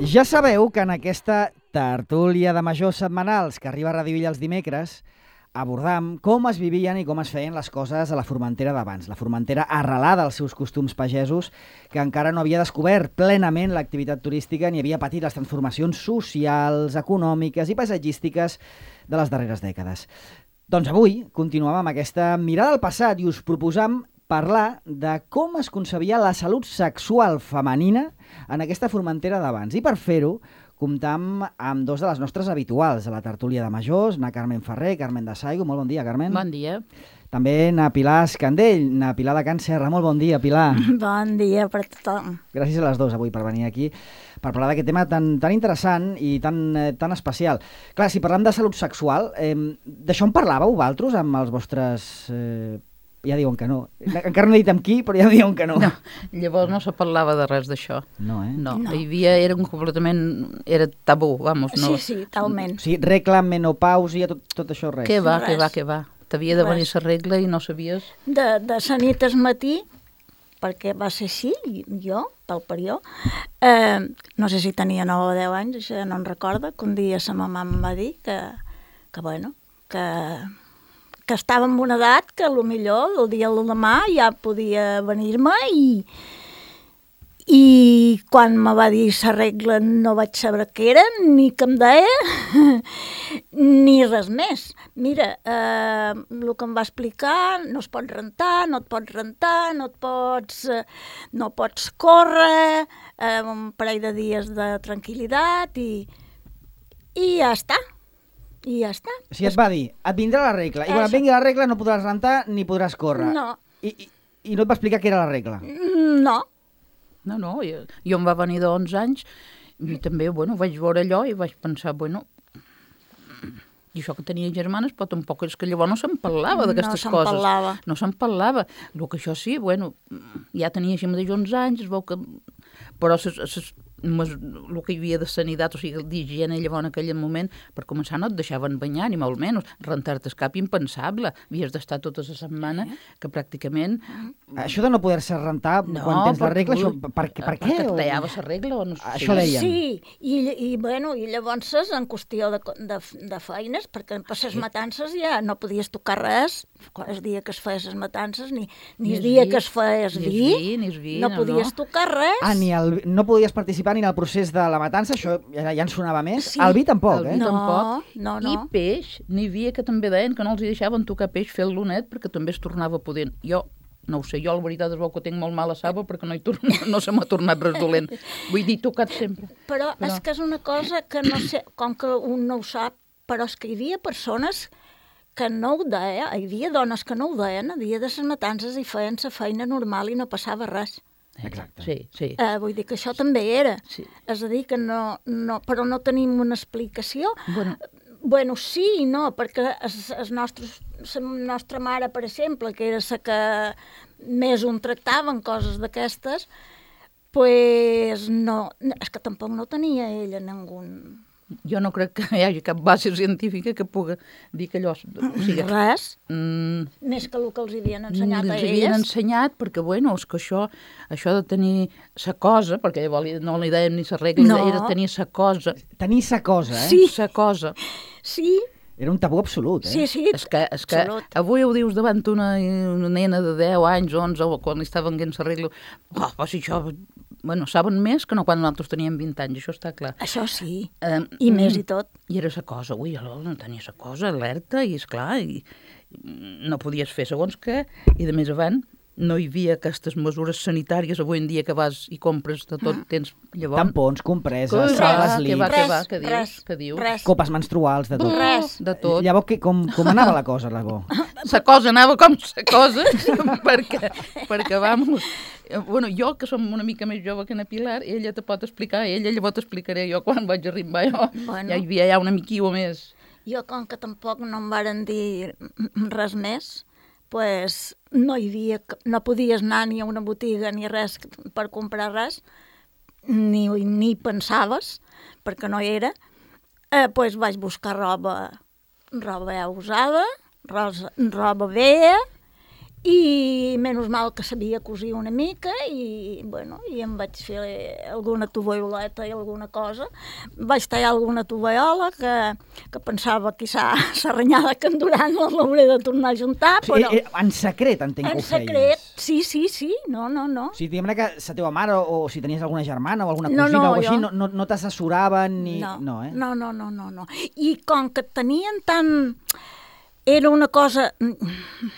Ja sabeu que en aquesta tertúlia de majors setmanals que arriba a Radio Illa els dimecres abordam com es vivien i com es feien les coses a la Formentera d'abans, la Formentera arrelada als seus costums pagesos, que encara no havia descobert plenament l'activitat turística ni havia patit les transformacions socials, econòmiques i paisatgístiques de les darreres dècades. Doncs avui continuem amb aquesta mirada al passat i us proposam parlar de com es concebia la salut sexual femenina en aquesta Formentera d'abans. I per fer-ho, comptam amb dos de les nostres habituals a la tertúlia de majors, na Carmen Ferrer, Carmen de Saigo. Molt bon dia, Carmen. Bon dia. També na Pilar Escandell, na Pilar de Can Serra. Molt bon dia, Pilar. Bon dia per tothom. Gràcies a les dues avui per venir aquí per parlar d'aquest tema tan interessant i tan especial. Clar, si parlem de salut sexual, d'això en parlàveu vosaltres amb els vostres... Ja diuen que no. Encara no he dit amb qui, però ja diuen que no. No, llavors no se parlava de res d'això. No, eh? No, hi havia, era tabú, vamos. No. Sí, talment. O sigui, regla, menopàusia, tot això, res. Què va. T'havia de venir la regla i no sabies... De sa nit al matí, perquè va ser així, jo, pel període, no sé si tenia 9 o 10 anys, això ja no en recorda, que un dia sa mamà em va dir que estava en una edat que potser el dia de demà ja podia venir-me i quan me va dir la regla no vaig saber què era, ni què em deia, ni res més. Mira, el que em va explicar, no es pot rentar, no et pots rentar, no pots córrer, un parell de dies de tranquil·litat i ja està. I ja està. O sigui, et va dir, et vindrà la regla, i quan et vingui la regla no podràs rentar ni podràs córrer. No. I no et va explicar què era la regla? No. No, jo em va venir de 11 anys i també, vaig veure allò i vaig pensar, i això que tenia germanes, però tampoc és que llavors no se'n parlava d'aquestes coses. No se'n parlava. El que això sí, ja tenia així mateix 11 anys, es veu que... Però el que hi havia de sanitat, o sigui, d'higiene llavors en aquell moment, per començar no et deixaven banyar, ni molt menys. Rentar-te el cap impensable. Havies d'estar tota la setmana, que pràcticament... Això de no poder-se rentar quan tens la regla, això, per què? Perquè et tallava la regla o no sé. Això deien. Sí, i llavors en qüestió de feines, perquè per les matances ja no podies tocar res, el dia que es feia les matances, ni el dia que es feia el vi, no podies tocar res. No podies participar ni en el procés de la matança, això ja en sonava més. Sí. El vi tampoc, El vi tampoc. No. I peix, n'hi havia que també deien que no els hi deixaven tocar peix fer-lo net perquè també es tornava pudent. Jo no ho sé, jo la veritat es veu que tinc molt mala saba perquè no se m'ha tornat res dolent. Vull dir, tocat sempre. Però és que és una cosa que no sé, com que un no ho sap, però és que hi havia persones que no ho deien, hi havia dones que no ho deien a dia de les matances i feien la feina normal i no passava res. Exacte. Sí. Vull dir que això també era. Sí. És a dir, que no, però no tenim una explicació. Sí i no, perquè la nostra mare, per exemple, que era la que més un tractava en coses d'aquestes, pues no, és que tampoc no tenia ella ningú... Jo no crec que hi hagi cap base científica que pugui dir que allò... Res? Més que el que els havien ensenyat a elles? Els havien ensenyat perquè, és que això de tenir sa cosa, perquè llavors no li dèiem ni sa regla, era tenir sa cosa. Tenir sa cosa, eh? Sí. Sa cosa. Sí. Era un tabú absolut, eh? Sí. És que avui ho dius davant una nena de 10 anys, 11, o quan li estaven venint sa regla, però si això... saben més que no quan nosaltres teníem 20 anys, això està clar. Això sí, i més i tot. I era sa cosa, no tenia sa cosa, alerta, i esclar, i no podies fer segons què, i de més avant no hi havia aquestes mesures sanitàries avui en dia que vas i compres de tot, tens llavors... Tampons, compreses, sales líquids... Què dius? Copes menstruals, de tot. Res. De tot. Llavors, com anava la cosa, Lagó? La cosa anava com la cosa, perquè vamos... jo, que som una mica més jove que na Pilar, ella te pot explicar, llavors t'explicaré jo quan vaig arribar jo. Ja hi havia una miquilla més. Jo, com que tampoc no em varen dir res més, pues no podies anar ni a una botiga ni res per comprar res, ni pensaves, perquè no hi era, pues vaig buscar roba usada, roba vella, I menys mal que sabia cosir una mica i em vaig fer alguna tovalloleta i alguna cosa. Vaig tallar alguna tovallola que pensava quizà s'arrenyada que en Duran l'hauré de tornar a juntar, però... En secret, entenc que ho feies. En secret, sí, no. O sigui, diguem-ne que la teva mare o si tenies alguna germana o alguna cosina o així, no t'assessoraven ni... No. I com que tenien tant... Era una cosa,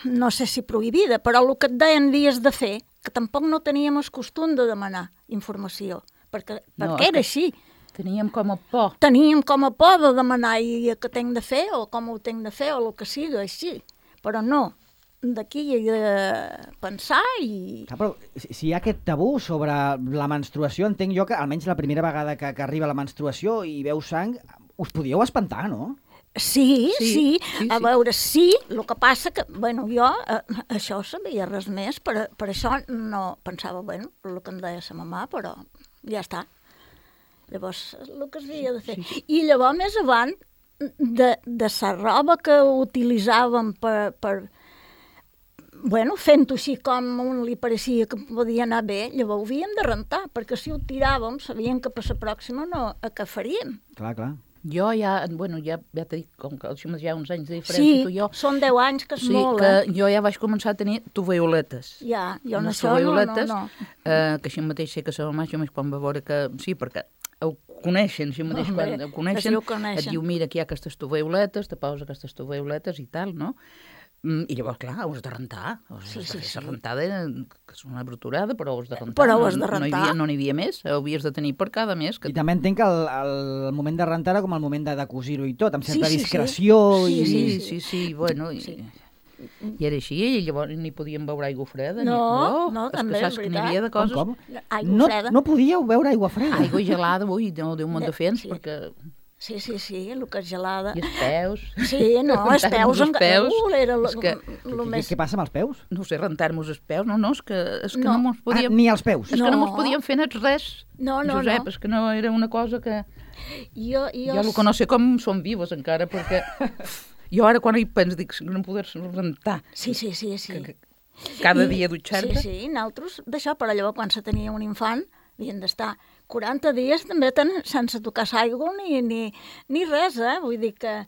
no sé si prohibida, però el que et deien havies de fer, que tampoc no teníem el costum de demanar informació, perquè era així. Teníem com a por. Teníem com a por de demanar què tinc de fer, o com ho tinc de fer, o el que sigui, així. Però no, d'aquí hi he de pensar i... Però si hi ha aquest tabú sobre la menstruació, entenc jo que almenys la primera vegada que arriba la menstruació i veus sang, us podíeu espantar, no? Sí. A veure, sí, el que passa que, jo això sabia res més, per això no pensava, el que em deia sa mamà, però ja està. Llavors, el que es havia de fer. I llavors, més avant, de la roba que utilitzàvem fent-ho així com un li pareixia que podia anar bé, llavors ho havíem de rentar, perquè si ho tiràvem, sabíem que per la pròxima no, què faríem. Clar. Jo ja t'he dit, com que hi ha uns anys de diferència, tu i jo... Sí, són 10 anys, que és molt, que jo ja vaig començar a tenir tovalloletes. Ja, jo no això no. Que així mateix sé que la mamà, jo més quan va veure que... Sí, perquè ho coneixen, així mateix quan ho coneixen, et diu, mira, aquí hi ha aquestes tovalloletes, te poses aquestes tovalloletes i tal, no? I llavors, clar, ho has de rentar. Sí. La rentada, que és una bruturada, però ho has de rentar. Però ho has de rentar. No n'hi havia més, ho havies de tenir per cada mes. I també entenc que el moment de rentar era com el moment de cosir-ho i tot, amb certa discreció. Sí, bueno... I era així, i llavors ni podíem beure aigua freda. No, també, és veritat. N'hi havia de coses... Com? Aigua freda. No podíeu beure aigua freda? Aigua gelada, no, Déu me'n defens, perquè... Sí, el que és gelada. I els peus. Sí, no, els peus era el més... Què passa amb els peus? No sé, rentar-nos els peus, no, és que no mos podíem... Ni els peus? És que no mos podíem fer res. No. Josep, és que no era una cosa que... Jo el que no sé com són vives encara, perquè... Jo ara quan hi penso dic no poder-se rentar. Sí. Cada dia dutxar-te. Sí, nosaltres d'això, però llavors quan se tenia un infant havien d'estar 40 dies també sense tocar l'aigua ni res, vull dir que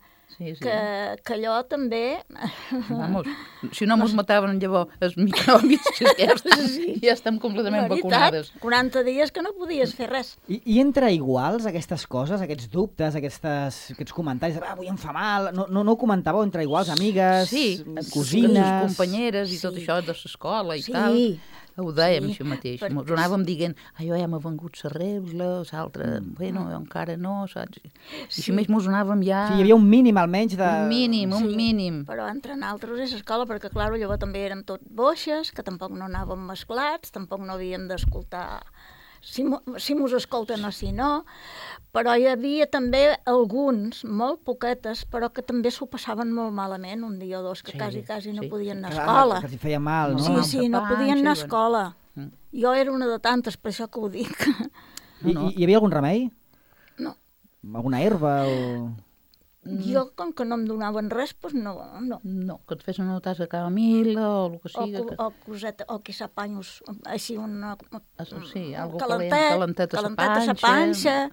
allò també... Vamos, si no mos mataven llavors els microbis, ja estem completament vacunades. 40 dies que no podies fer res. I entre iguals aquestes coses, aquests dubtes, aquests comentaris, avui em fa mal, no ho comentàveu entre iguals, amigues, cosines... Les companyeres i tot això de l'escola i tal. Ho dèiem això mateix. Ens anàvem dient, jo ja m'ha vengut la regla, l'altre, encara no, saps? I així més mos anàvem ja... Sí, hi havia un mínim almenys de... Un mínim. Però entre nosaltres és escola, perquè clar, llavors també érem tot boixes, que tampoc no anàvem mesclats, tampoc no havíem d'escoltar si mos escolten o si no, però hi havia també alguns, molt poquetes, però que també s'ho passaven molt malament, un dia o dos, que quasi no podien anar a escola. Que els feia mal, no? Sí, no podien anar a escola. Jo era una de tantes, per això que ho dic. I hi havia algun remei? No. Alguna herba o...? Jo, com que no em donaven res, doncs no. No, que et fes una tassa de camomil·la o el que sigui. O coseta, o quizà panyos, així una... Sí, algo calentet a la panxa.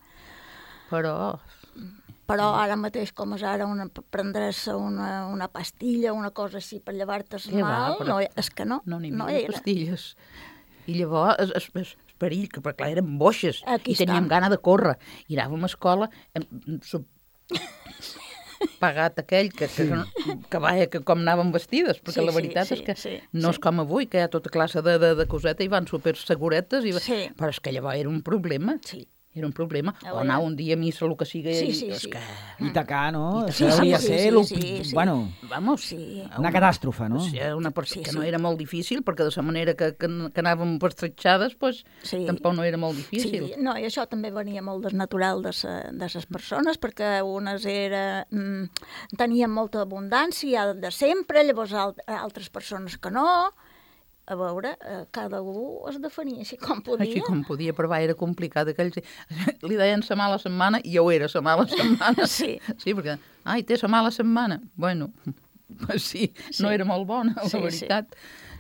Però ara mateix, com és ara, prendre's una pastilla, una cosa així per llevar-te's mal, és que no. No n'hi havia pastilles. I llavors, el perill, que clar, érem boixes i teníem gana de córrer. I anàvem a escola, pagat aquell que com anàvem vestides, perquè la veritat és que no és com avui, que hi ha tota classe de coseta i van super seguretes, però és que llavors era un problema. Era un problema. O anar un dia a missa, el que sigui... I tacar, no? Això hauria de ser... Bueno, una catàstrofe, no? Que no era molt difícil, perquè de la manera que anàvem pertretxades, tampoc no era molt difícil. No, i això també venia molt desnatural de les persones, perquè unes tenien molta abundància de sempre, llavors altres persones que no... A veure, cada un es definia així com podia. Així com podia, però era complicat. Li deien la mala setmana i jo era la mala setmana. Sí, perquè, té la mala setmana. Bueno, sí, no era molt bona, la veritat.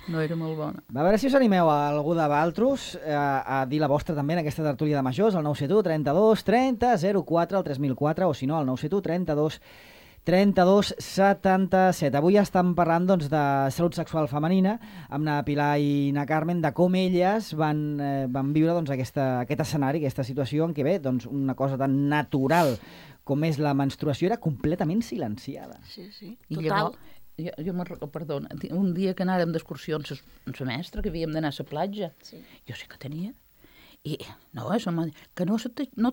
No era molt bona. A veure si us animeu a algú de Valtros a dir la vostra també en aquesta tertúlia de majors, al 971 32 30 04 al 3004, o si no, al 971 32 77. Avui estem parlant doncs, de salut sexual femenina amb na Pilar i na Carmen, de com elles van viure doncs, aquest escenari, aquesta situació en què bé, doncs, una cosa tan natural com és la menstruació era completament silenciada. Sí, total. I llavors, perdona, un dia que anàrem d'excursió amb la mestra, que havíem d'anar a la platja, jo sí que tenia, i no, que no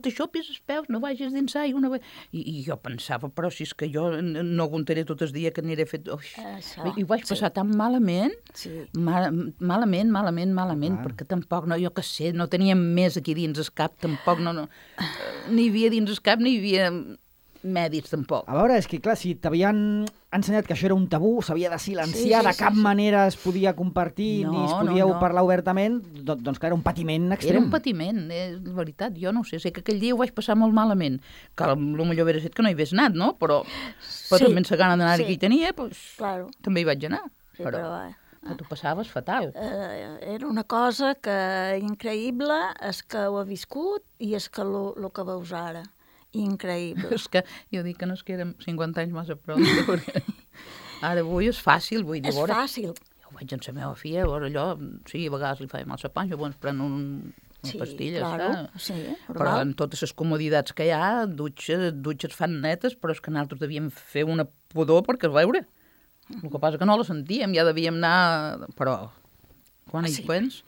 t'aixopis els peus, no vagis dins aigua, i jo pensava, però si és que jo no aguantaré tot el dia que aniré fet... I ho vaig passar tan malament, malament, perquè tampoc, jo què sé, no teníem més aquí dins el cap, tampoc, ni hi havia dins el cap, ni hi havia mèdics, tampoc. A veure, és que clar, si t'havien ensenyat que això era un tabú, s'havia de silenciar, de cap manera es podia compartir, ni es podíeu parlar obertament, doncs clar, era un patiment extrem. Era un patiment, és veritat, jo no ho sé, sé que aquell dia ho vaig passar molt malament, que potser hauria estat que no hi hagués anat, no? Però també la gana d'anar que hi tenia, també hi vaig anar. Però tu passaves fatal. Era una cosa que increïble, és que ho ha viscut i és que el que veus ara. Increïble. És que jo dic que no és que érem 50 anys massa prou. Ara avui és fàcil, vull dir... És fàcil. Jo ho veig amb la meva filla, allò, sí, a vegades li fa mal la panxa, llavors pren una pastilla, però amb totes les comoditats que hi ha, dutxes fan netes, però és que nosaltres devíem fer una pudor perquè es veure. El que passa que no la sentíem, ja devíem anar... Però quan hi pens...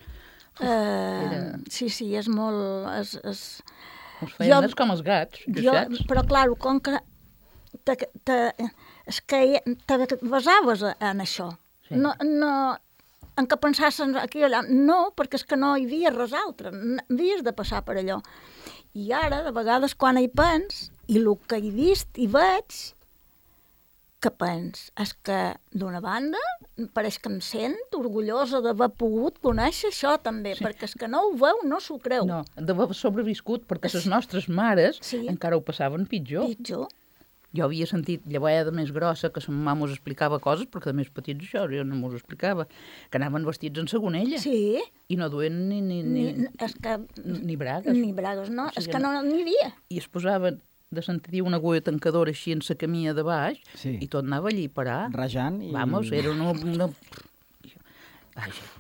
Sí, és molt... Els feien més com els gats, jossets. Però, clar, com que te basaves en això. No, en què pensassin aquí o allà. No, perquè és que no hi havia res altre. Havies de passar per allò. I ara, de vegades, quan hi pens, i el que he vist i veig, que pens? És que, d'una banda, pareix que em sent orgullosa d'haver pogut conèixer això també, perquè és que no ho veu, no s'ho creu. No, d'haver sobreviscut, perquè les nostres mares encara ho passaven pitjor. Jo havia sentit, llavors de més grossa, que la mama us explicava coses, perquè de més petits això, jo no m'ho explicava, que anaven vestits en segonella. Sí. I no duien ni bragues. Ni bragues, no, és que no n'hi havia. I es posaven de sentir una agulla tancadora així en la camilla de baix, i tot anava allí a parar. Rajant. Vamos, era una...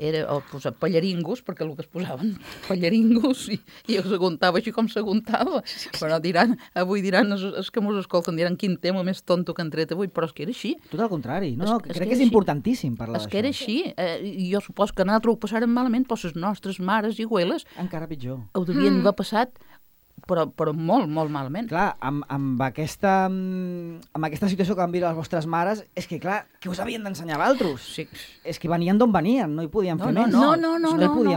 Era posar pallaringos, perquè el que es posaven pallaringos, i s'aguantava així com s'aguantava. Però avui diran, els que mos escolten, diran quin tema més tonto que han tret avui, però és que era així. Tot el contrari. No, crec que és importantíssim parlar d'això. És que era així. Jo supos que nosaltres ho passàrem malament, però les nostres mares i abueles... Encara pitjor. Ho devien haver passat... Però molt, molt malament. Clar, amb aquesta situació que van viure les vostres mares, és que, clar, que us havien d'ensenyar vosaltres. Sí. És que venien d'on venien, no hi podien fer més. No,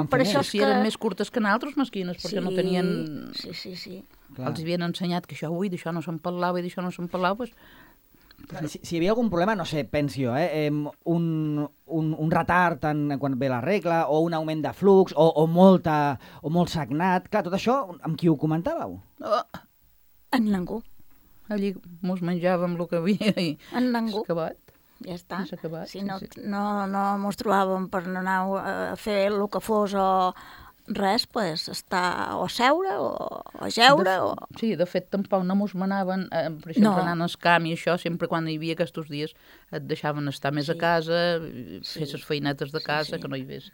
per això si eren més curtes que nosaltres, mesquines, perquè no tenien... Sí. Els havien ensenyat que això, d'això no se'n parlava i d'això no se'n parlava, doncs... Si hi havia algun problema, no sé, penso jo, un retard quan ve la regla, o un augment de flux, o molt sagnat, clar, tot això, amb qui ho comentàveu? En ningú. Allí mos menjàvem el que havia i en ningú. Acabat. Ja està. Acabat, si no mos trobàvem per anar a fer el que fos o... Res, pues, estar o seure o jeure Sí, de fet, tampoc no mos manaven, per exemple, anant al camp i això, sempre quan hi havia aquests dies et deixaven estar més a casa, fer les feinetes de casa, que no hi hagués...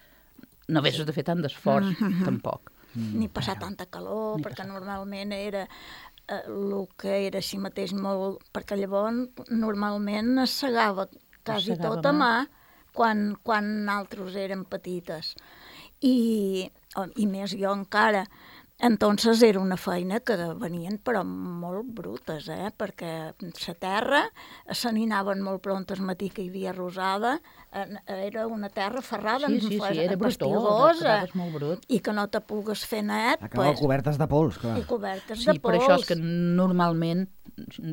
No haguessis de fer tant d'esforç, tampoc. Ni passar tanta calor, perquè normalment era el que era així mateix molt... Perquè llavors normalment es segava quasi tot a mà quan nosaltres érem petites. I més jo encara. Entonces era una feina que venien però molt brutes, perquè la terra se n'anaven molt pront al matí que hi havia rosada, era una terra ferrada, era pastigosa, i que no te pugues fer net. Acabava cobertes de pols, clar. I cobertes de pols. Sí, per això és que normalment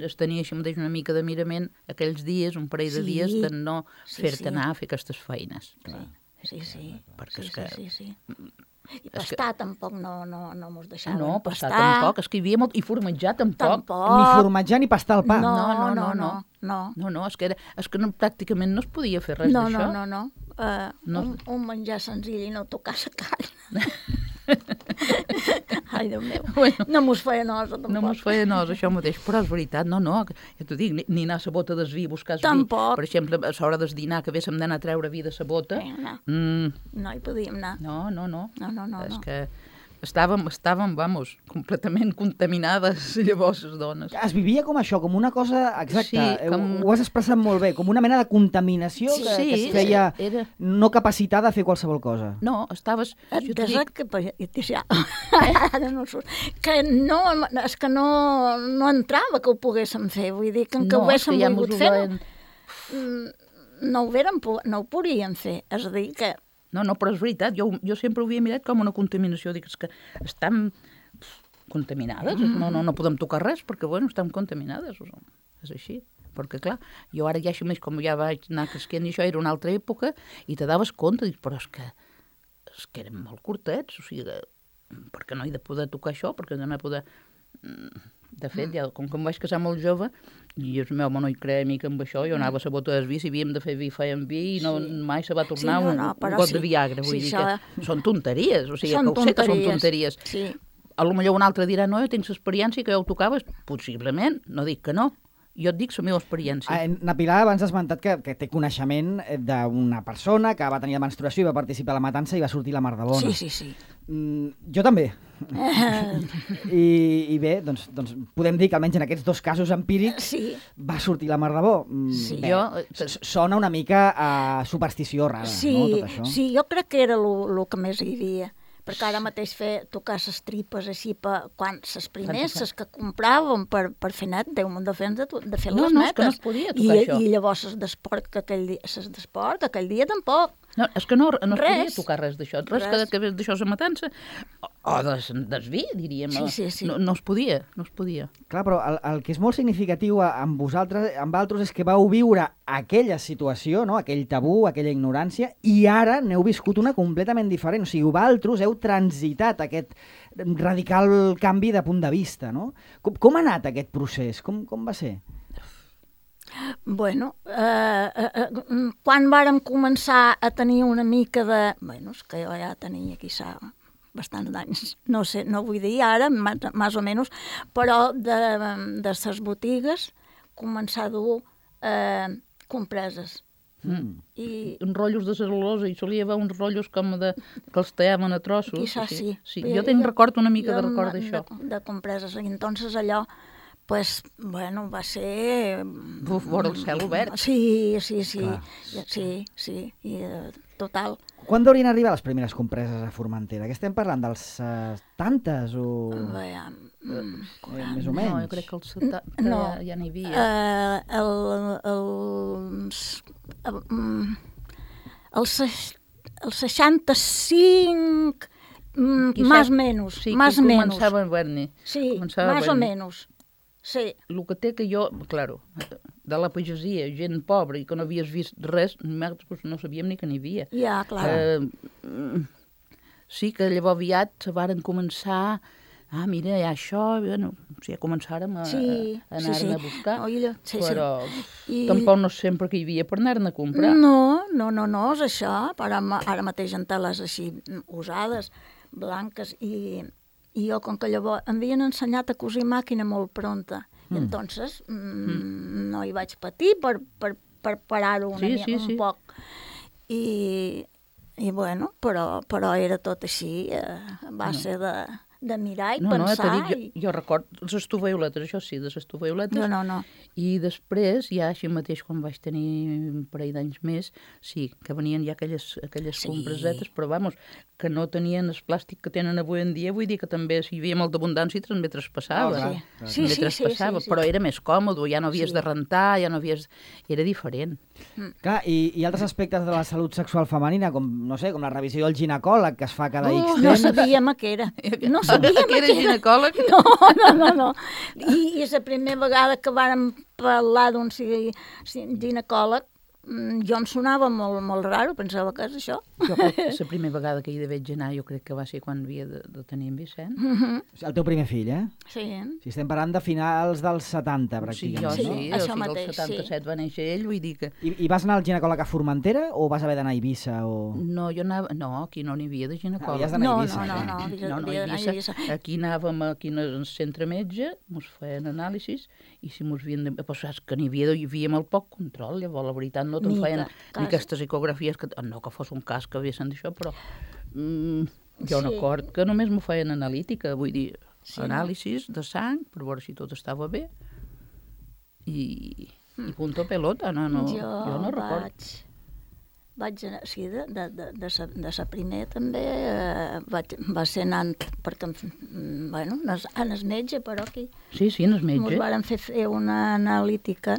es tenia així mateix una mica de mirament aquells dies, un parell de dies, de no fer-te anar a fer aquestes feines. Sí. Perquè és que... Sí. I pastar tampoc no mos deixaven. No, pastar tampoc, és que hi havia molt... I formatjar tampoc. Ni formatjar ni pastar el pa. No, és que pràcticament no es podia fer res d'això. No. un menjar senzill i no tocar la carn. Ai, Déu meu, no mos feia nosa, tampoc. No mos feia nosa, això mateix, però és veritat, no, ja t'ho dic, ni anar a la bota del vi a buscar el vi. Tampoc. Per exemple, a l'hora del dinar, que haguéssim d'anar a treure vi de la bota. No hi podíem anar. No. És que estàvem, vamos, completament contaminades llavors les dones. Es vivia com això, com una cosa, exacte, Sí, ho has expressat molt bé, com una mena de contaminació que es feia no capacitar de fer qualsevol cosa. No, estaves... Ara no surt. Que no, és que no entrava que ho poguéssim fer, vull dir que ho haguéssim volgut fer, no ho podíem fer, és a dir que... No, però és veritat, jo sempre ho havia mirat com una contaminació, dic, és que estem contaminades, no podem tocar res perquè, bueno, estem contaminades, és així. Perquè, clar, jo ara ja així més, com ja vaig anar cresquent i això, era una altra època, i te daves compte, dic, però és que érem molt curtets, o sigui, per què no he de poder tocar això, perquè no he de poder... De fet, ja, com que em vaig casar molt jove, i el meu home no hi creia mica amb això, jo anava a la bota del vi, si havíem de fer vi, fèiem vi, i mai se va tornar un got de Viagra. Vull dir que són tonteries, o sigui, que ho sé que són tonteries. A lo millor un altre dirà, no, jo tinc l'experiència que ja ho tocaves, possiblement, no dic que no. Jo et dic la meva experiència. Na Pilar abans has esmentat que té coneixement d'una persona que va tenir la menstruació i va participar a la matança i va sortir la mar de bona. Sí. Jo també. I bé, doncs podem dir que almenys en aquests dos casos empírics va sortir la mar de bo. Sona una mica a superstició rara, no, tot això? Sí, jo crec que era el que més hi havia. Perquè ara mateix tocar les tripes així, quan les primers, les que compràvem per fer net, Déu me'n de fer les netes. No, és que no es podia tocar això. I llavors les d'esport aquell dia tampoc. No, és que no es podia tocar res d'això. Res que ves d'això a la matança. O del vi, diríem. Sí. No es podia. Clar, però el que és molt significatiu amb vosaltres, amb altres, és que vau viure aquella situació, no? Aquell tabú, aquella ignorància, i ara n'heu viscut una completament diferent. O sigui, vosaltres heu transitat aquest radical canvi de punt de vista, no? Com ha anat aquest procés? Com va ser? Bueno, quan vàrem començar a tenir una mica de... Bueno, és que jo ja tenia quizà bastants anys, no sé, no vull dir ara, més o menys, però de les botigues començar a dur compreses. Uns rotllos de cel·lulosa, i solia haver uns rotllos com que els tallaven a trossos. Quizà sí. Jo record una mica de record d'això. De compreses, i entonces allò pues, bueno, va ser... Vora el cel obert. Sí, total. Quan deurien arribar les primeres compreses a Formentera? Que estem parlant dels 70s o... més o menys? No, jo crec que els 70 ja n'hi havia. El 65, más o menos. Sí, que començava a haver-n'hi. Sí, más o menos. Sí. El que té que jo, claro, de la pagesia, gent pobra i que no havies vist res, no sabíem ni que n'hi havia. Ja, clar. Sí que llavors aviat se varen començar, mira, hi ha això, bueno, ja començàrem a anar-ne a buscar, però tampoc no sempre que hi havia per anar-ne a comprar. No, és això, ara mateix en teles així usades, blanques, i jo, com que llavors em havien ensenyat a cosir màquina molt pronta, i entonces no hi vaig patir per parar-ho un poc. I bueno, però era tot així, a base de mirar i pensar. Jo record les estuvioletes, això sí, les estuvioletes. No. I després, ja així mateix, quan vaig tenir un parell d'anys més, sí, que venien ja aquelles compresetes, però vamos, que no tenien el plàstic que tenen avui en dia, vull dir que també, si hi havia molta abundància, també traspassava. Sí, però era més còmode, ja no havies de rentar, ja no havies... Era diferent. Clar, i altres aspectes de la salut sexual femenina, com, no sé, com la revisió del ginecòleg que es fa cada X temps. No sabíem què era. No sabíem que era ginecòleg? No. I la primera vegada que vàrem parlar d'un ginecòleg, jo em sonava molt raro, pensava que és això. Jo crec que la primera vegada que hi vaig anar, jo crec que va ser quan havia de tenir en Vicent. El teu primer fill, eh? Sí. Si estem parlant de finals dels 70, pràcticament. Sí, això no? mateix, El 77 va néixer ell, vull dir que... I vas anar al ginecòleg a Formentera o vas haver d'anar a Eivissa? No, jo anava... No, aquí no n'hi havia de ginecòleg. Havies d'anar a Eivissa. No, Eivissa. Aquí anàvem aquí al centre metge, ens feien anàlisis, i si ens havien de... Però saps que n'hi havia molt poc control, llavors la veritat no te'n feien ni aquestes ecografies, no que fos un cas que haguessin d'això, però jo no acord que només m'ho feien analítica, vull dir, anàlisis de sang, per veure si tot estava bé, i punto pelota, jo no recordo. Vaig anar, sí, de sa primer també va ser anant, perquè, bueno, en el metge, però aquí. Sí, en el metge. Ens varen fer una analítica,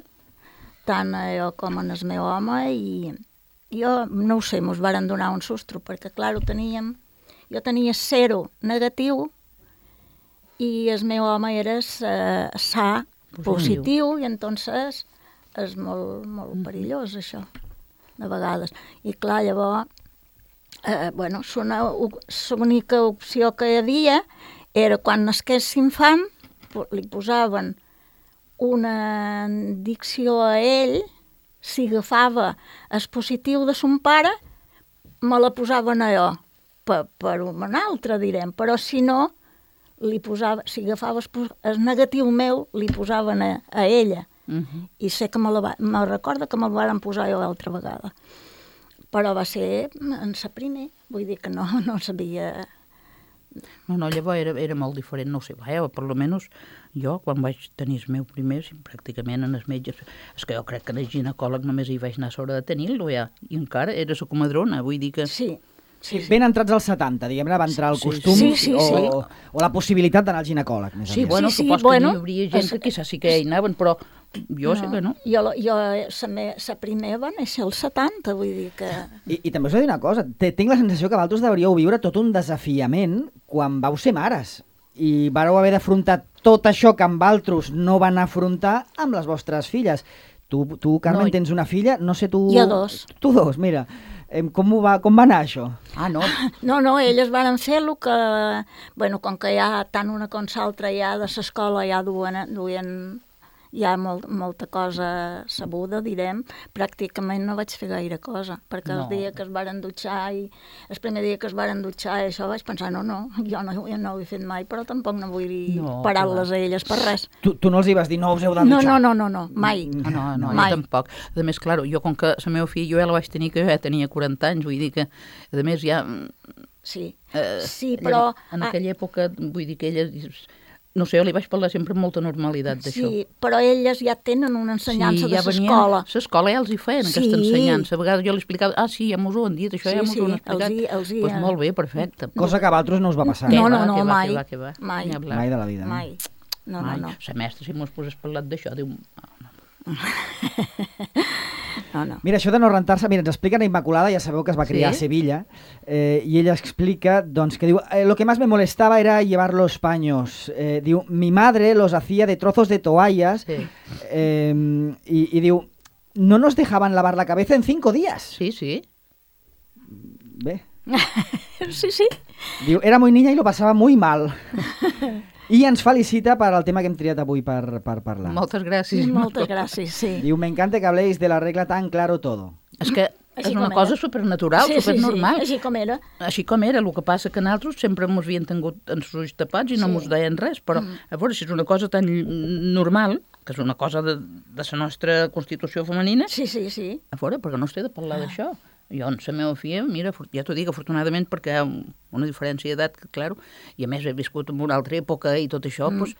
tant jo com en el meu home, i jo, no ho sé, ens varen donar un sustro, perquè, clar, jo tenia 0 negatiu, i el meu home era sa, positiu, i entonces és molt perillós, això, de vegades. I clar, llavors, bueno, l'única opció que hi havia era quan nasqués l'infant, li posaven una indicció a ell, si agafava el positiu de son pare, me la posaven a jo, per un altre, direm, però si no, si agafava el negatiu meu, li posaven a ella. I sé que me recorda que me'l van posar jo l'altra vegada. Però va ser en la primer, vull dir que no sabia... No, llavors era molt diferent, no ho sé, per almenys jo, quan vaig tenir el meu primer, pràcticament en els metges, és que jo crec que en el ginecòleg només hi vaig anar a l'hora de tenir-lo ja, i encara era la comadrona, vull dir que... Sí, ben entrats als 70, diguem-ne, va entrar el costum o la possibilitat d'anar al ginecòleg. Sí, bueno, supos que n'hi hauria gent que quizás sí que hi anaven, però jo sé que no. Jo la primer va néixer als 70, vull dir que... I també us he de dir una cosa, tinc la sensació que vosaltres devríeu viure tot un desafiament quan vau ser mares i vareu haver d'afrontar tot això que amb altres no van afrontar amb les vostres filles. Tu Carmen, tens una filla, no sé tu... Jo 2. Tu 2, mira. Com va anar això? No. No, elles van fer el que... Bueno, com que ja tant una com l'altra ja de l'escola ja duien ja molta cosa sabuda, direm, pràcticament no vaig fer gaire cosa, perquè el dia que es varen dutxar i el primer dia que es varen dutxar i això vaig pensar, jo no ho he fet mai, però tampoc no vull parar-les a elles per res. Tu no els hi vas dir, no us heu de dutxar? No, mai. No, jo tampoc. A més, clar, jo com que la meva filla, jo ja la vaig tenir que jo ja tenia 40 anys, vull dir que, a més, ja... Sí, però... En aquella època, vull dir que ella... No sé, jo li vaig parlar sempre amb molta normalitat d'això. Sí, però elles ja tenen una ensenyança de l'escola. L'escola ja els hi feien, aquesta ensenyança. A vegades jo li explicava, ja mos ho han dit, això ja mos ho han explicat. Doncs molt bé, perfecte. Cosa que a vosaltres no us va passar. No, mai. Mai de la vida. Mai. No. La mestra, si mos posés parlat d'això, diu... No. Mira, això de no rentar-se, mira, ens explica la Immaculada, ja sabeu que es va criar a Sevilla, y ella explica, doncs, que diu, lo que más me molestaba era llevar los paños. Diu, mi madre los hacía de trozos de toallas, y diu, no nos dejaban lavar la cabeza en 5 días. Sí. Bé. Sí. Diu, era muy niña y lo pasaba muy mal. I ens felicita per al tema que hem triat avui per parlar. Moltes gràcies. Moltes gràcies, sí. Diu, me encanta que habléis de la regla tan claro todo. És que és una cosa supernatural, supernormal. Sí, així com era. El que passa que nosaltres sempre ens havien tingut els ulls tapats i no ens deien res, però a veure, si és una cosa tan normal, que és una cosa de la nostra constitució femenina, a veure, perquè no es té de parlar d'això. Jo, en la meva filla, mira, ja t'ho dic, afortunadament, perquè hi ha una diferència d'edat, clar, i a més he viscut en una altra època i tot això, doncs,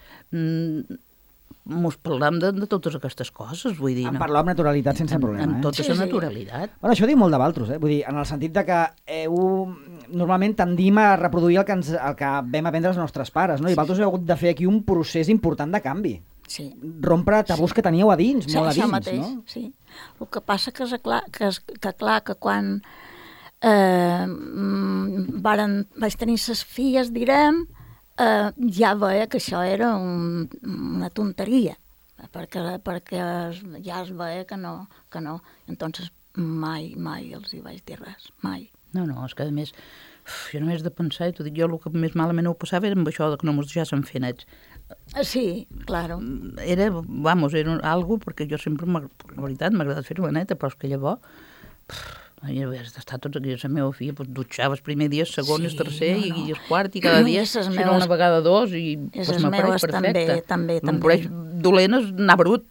mos parlam de totes aquestes coses, vull dir... En parlar amb naturalitat sense problema, amb tota la naturalitat. Bueno, això diu molt de vosaltres, vull dir, en el sentit de que normalment tendim a reproduir el que vam aprendre els nostres pares, no? I vosaltres heu hagut de fer aquí un procés important de canvi. Sí. Rompre tabús que teníeu a dins, molt a dins, mateix, no? Sí. El que passa que que quan vaig tenir ses filles, direm, ja veia que això era una tonteria, perquè ja es veia que no. Entonces mai els hi vaig dir res, mai. No, és que a més, jo només de pensar, i t'ho dic, jo el que més malament ho passava era amb això de que no mos deixassen fer nets. Sí, claro. Era algo, perquè jo sempre, la veritat, m'ha agradat fer-ho neta, però és que llavors, havies d'estar tots aquí, la meva filla, dutxaves primer dia, segon, el tercer i el quart, i cada dia, si no una vegada dos, i m'apareix perfecte. També. M'apareix dolent anar brut,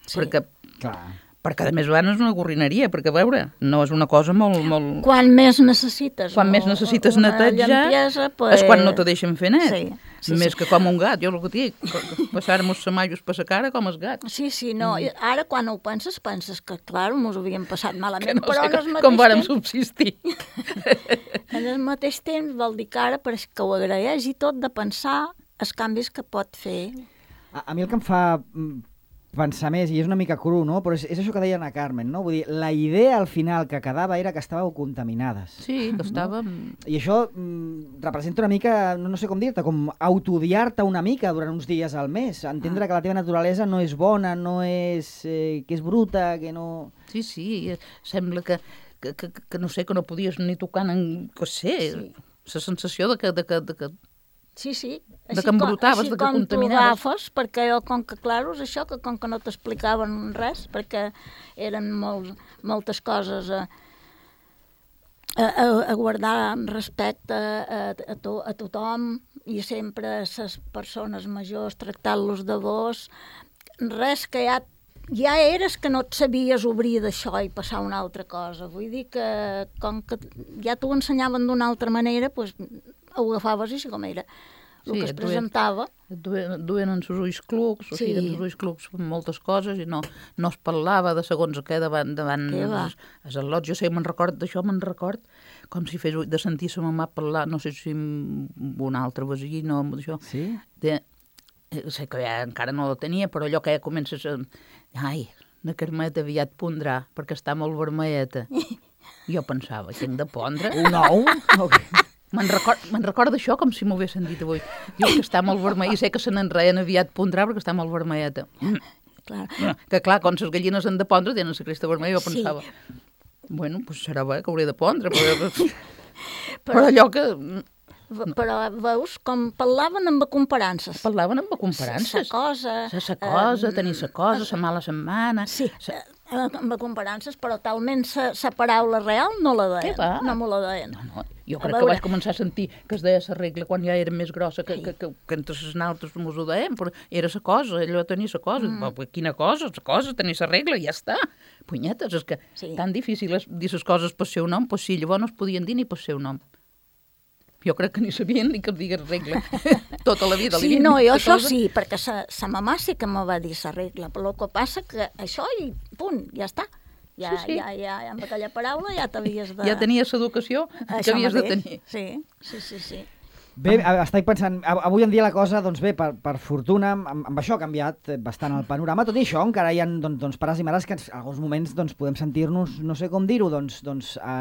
perquè a més a és una gorrineria, perquè a veure, no és una cosa molt... Quan més necessites netejar, és quan no te deixen fer net. Més que com un gat, jo el que dic, passar-nos semallos per la cara com els gats. Sí, no, ara quan ho penses que, clar, mos ho havíem passat malament, però no sé com vàrem subsistir. En el mateix temps vol dir que ara, perquè ho agraeix i tot, de pensar els canvis que pot fer. A mi el que em fa pensar més, i és una mica cru, no? Però és això que deia Ana Carmen, no? Vull dir, la idea al final que quedava era que estàveu contaminades. Sí, que estàvem... I això representa una mica, no sé com dir-te, com autodiar-te una mica durant uns dies al mes, entendre que la teva naturalesa no és bona, no és... que és bruta, que no... Sí, sembla que no sé, que no podies ni tocar, que sé, la sensació de que... Sí, de que embrotaves, de que contaminaves. Com tu agafes, perquè jo, com que, clar, és això, que com que no t'explicaven res, perquè eren moltes coses a guardar respecte a tothom, i sempre les persones majors tractant-los de vos, res que ja eres que no et sabies obrir d'això i passar una altra cosa. Vull dir que com que ja t'ho ensenyaven d'una altra manera, doncs ho agafaves així com era. El que es presentava. Duen els ulls clucs, o sigui, els ulls clucs moltes coses, i no es parlava de segons què davant els al·lots. Jo sé, me'n record com si fes de sentir sa mamà parlar, no sé si amb un altre veí, no, d'això. Sí? Sé que ja encara no la tenia, però allò que ja comences a... Ai, la Carmeta aviat pondrà, perquè està molt vermelleta. Jo pensava, que hem de pondre? Un ou? Me'n record d'això com si m'ho haguessin dit avui. Diu que està molt vermella, i sé que se n'enreien aviat pondrà perquè està molt vermelleta. Que clar, quan les gallines han de pondre tenen la cresta vermella, jo pensava, bueno, doncs serà bé que hauré de pondre, però allò que... Però veus com parlaven amb comparances. Sa cosa, tenir sa cosa, sa mala setmana... Sí, amb comparances, però talment sa paraula real no la deien. No me la deien. No. Jo crec que vaig començar a sentir que es deia la regla quan ja era més grossa, que entre les naltres mos ho deien, però era la cosa, allò tenia la cosa. Quina cosa? La cosa, tenir la regla, ja està. Punyetes, és que tan difícil és dir les coses pel seu nom, doncs sí, llavors no es podien dir ni pel seu nom. Jo crec que ni sabien ni que es digués regla. Tota la vida. Sí, no, jo això sí, perquè sa mamà sí que me va dir la regla, però el que passa que això i punt, ja està. Ja, amb aquella paraula ja t'havies de... Ja tenies l'educació que havies de tenir. Sí. Bé, estic pensant, avui en dia la cosa, doncs bé, per fortuna, amb això ha canviat bastant el panorama. Tot i això, encara hi ha pares i mares que en alguns moments podem sentir-nos, no sé com dir-ho,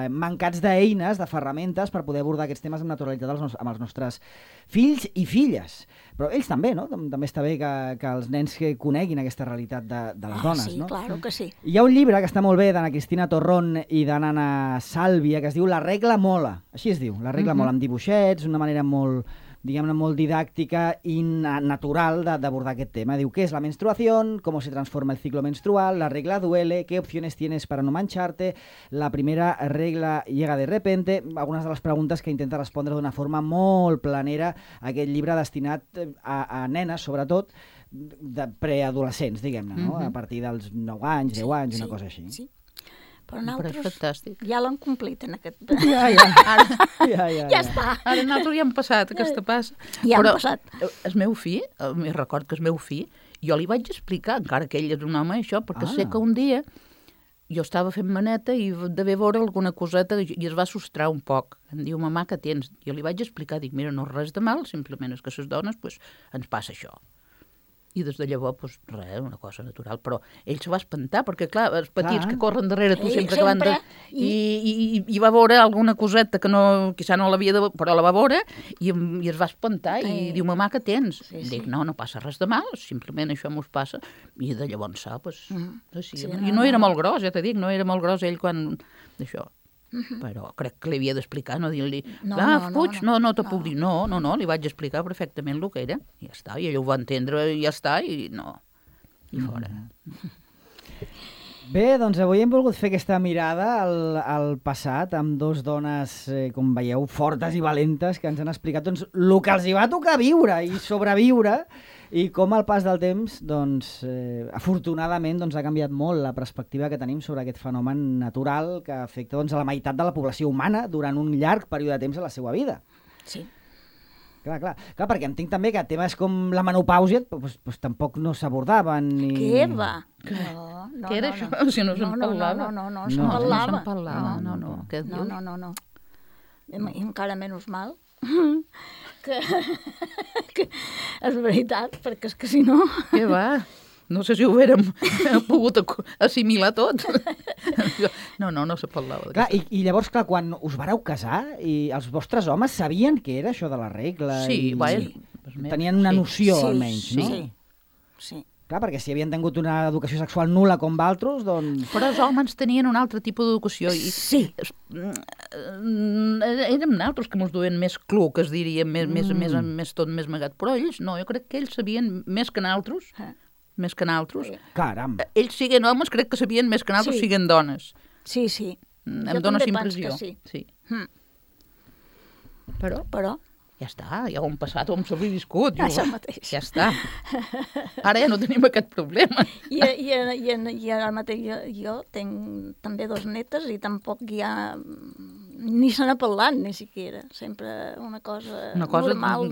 mancats d'eines, de ferramentes per poder abordar aquests temes amb naturalitat amb els nostres fills i filles. Però ells també, no? També està bé que els nens coneguin aquesta realitat de les dones, sí, no? Sí, claro que sí. Hi ha un llibre que està molt bé d'Anna Cristina Torrón i d'Anna Sàlvia que es diu La regla mola. Així es diu, La regla mola, amb dibuixets, una manera molt, diguem-ne, molt didàctica i natural d'abordar aquest tema. Diu, ¿qué es la menstruación? ¿Cómo se transforma el ciclo menstrual? ¿La regla duele? ¿Qué opciones tienes para no mancharte? ¿La primera regla llega de repente? Algunes de les preguntes que intenta respondre d'una forma molt planera aquest llibre destinat a nenes, sobretot, de preadolescents, diguem-ne, no? A partir dels 9 anys, 10 anys, una cosa així. Sí. Però nosaltres ja l'han complit en aquest... Ja està. Ara nosaltres ja hem passat aquesta passa. Ja hem passat. El meu fill, me'n record que el meu fill, jo li vaig explicar, encara que ell és un home, això, perquè sé que un dia jo estava fent maneta i devia veure alguna coseta i es va sostrar un poc. Em diu, mamà, què tens? Jo li vaig explicar, dic, mira, no és res de mal, simplement és que les dones, ens passa això. I des de llavors, doncs, res, una cosa natural. Però ell se va espantar, perquè, clar, els petits que corren darrere tu sempre que van de... I va veure alguna coseta que no, quizà no l'havia de... però la va veure i es va espantar i diu, mamà, què tens? Dic, no passa res de mal, simplement això mos passa. I de llavors doncs, així. I no era molt gros, ja t'he dit, no era molt gros ell quan... d'això. Però crec que li havia d'explicar, no dir-li, fuig, no te puc dir, no, li vaig explicar perfectament el que era, i ja està, i ell ho va entendre, i ja està, i fora. Bé, doncs avui hem volgut fer aquesta mirada al passat, amb dos dones, com veieu, fortes i valentes, que ens han explicat doncs, el que els hi va tocar viure i sobreviure, i com al pas del temps, doncs, afortunadament, doncs, ha canviat molt la perspectiva que tenim sobre aquest fenomen natural que afecta doncs, a la meitat de la població humana durant un llarg període de temps a la seva vida. Sí. Clar, perquè entenc també que temes com la menopàusia doncs, tampoc no s'abordaven. Què va? Què era això? Si no se'n parlava. No se'n parlava. Què dius? No. I encara menys mal. que és veritat, perquè és que si no... Què va? No sé si ho haguérem pogut assimilar tot. No se parlava. Clar, i llavors, clar, quan us vareu casar, i els vostres homes sabien què era això de la regla? Sí, tenien una noció, almenys, no? Sí. Clar, perquè si havien tingut una educació sexual nul·la com d'altres, doncs... Però els homes tenien un altre tipus d'educació. Sí. Érem nosaltres que ens duien més cluc, es diria, més tot més magat. Però ells no, jo crec que ells sabien més que nosaltres. Més que nosaltres. Caram. Ells siguen homes, crec que sabien més que nosaltres siguen dones. Sí. Em dóna impressió. Sí. Però... Ja està, ja ho hem passat, ho hem sobreviscut. Això mateix. Ja està. Ara ja no tenim aquest problema. I ara mateix jo tinc també dos netes i tampoc ja ni se n'ha parlat, ni siquiera. Sempre una cosa normal.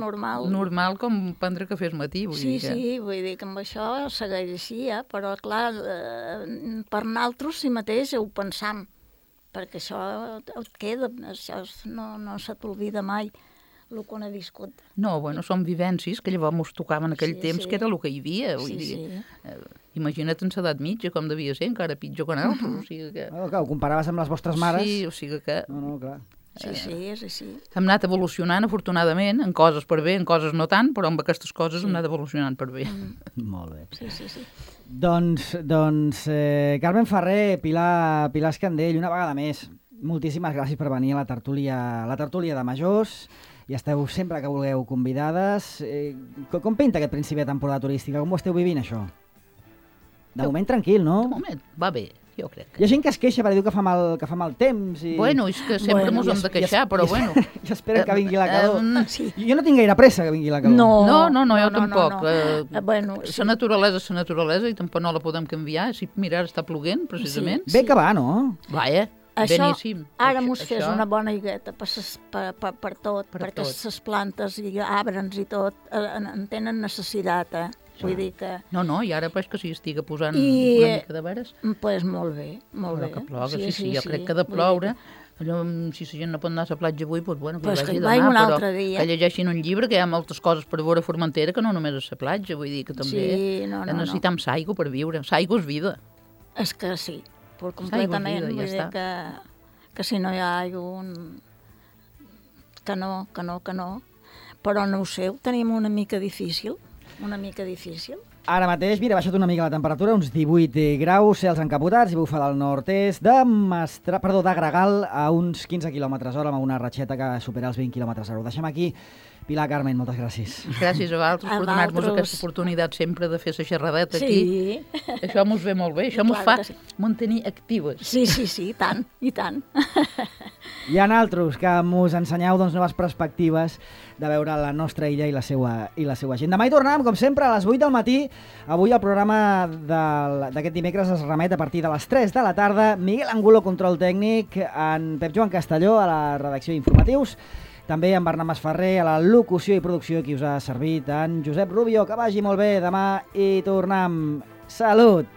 Normal com prendre cafè al matí. Sí, vull dir que amb això segueix així, però clar, per nosaltres si mateix ho pensam, perquè això et queda, això no se t'olvida mai. El que no he viscut. No, són vivències que llavors ens tocaven en aquell temps, que era el que hi havia. Imagina't en l'edat mitja, com devia ser, encara pitjor que nosaltres. O sigui que... Ho comparaves amb les vostres mares. Sí, o sigui que... No, clar. Sí, és així. Hem anat evolucionant, afortunadament, en coses per bé, en coses no tant, però amb aquestes coses hem anat evolucionant per bé. Molt bé. Sí. Doncs Carmen Ferrer, Pilar Escandell, una vegada més, moltíssimes gràcies per venir a la tertúlia de Majors. I esteu sempre que vulgueu convidades. Com pinta aquest principi de temporada turística? Com ho esteu vivint, això? De moment tranquil, no? De moment va bé, jo crec. Hi ha gent que es queixa perquè diu que fa mal temps. I... És que sempre ens hem de queixar, però bueno. I esperen que vingui la calor. Jo no tinc gaire pressa que vingui la calor. No, jo tampoc. La naturalesa i tampoc no la podem canviar. Mira, ara està ploguent, precisament. Bé que va, no? Vaja. Això, beníssim. Ara mos fes una bona higueta per tot, perquè les plantes i arbres i tot en tenen necessitat, Vull dir que... No, i ara pues que s'hi estiga posant una mica de veres. Pues molt bé. Que ploga, sí, jo crec que ha de ploure. Allò, si la gent no pot anar a la platja avui, doncs bueno, que hi vagi demà, però que llegeixin un llibre, que hi ha moltes coses per veure a Formentera que no només a la platja, vull dir que també necessitem l'aigua per viure. L'aigua és vida. És que sí. Completament, vull dir que si no hi ha aigua que no, però no ho sé, ho tenim una mica difícil. Ara mateix, mira, ha baixat una mica la temperatura, uns 18 graus, cels encapotats i bufa del nord-est de Gregal a uns 15 km/h amb una ratxeta que supera els 20 km/h. Ho deixem aquí. Pilar, Carmen, moltes gràcies. Gràcies a vosaltres per donar-nos aquesta oportunitat sempre de fer la xerradeta aquí. Sí. Això mos ve molt bé, això mos fa mantenir actives. Sí, i tant. Hi ha altres que mos ensenyeu noves perspectives de veure la nostra illa i la seva gent. Demà hi tornem, com sempre, a les 8 del matí. Avui el programa d'aquest dimecres es remet a partir de les 3 de la tarda. Miguel Angulo, control tècnic, en Pep Joan Castelló, a la redacció d'informatius. També en Bernat Masferrer, a la locució i producció, qui us ha servit, en Josep Rubio. Que vagi molt bé, demà hi tornem. Salut!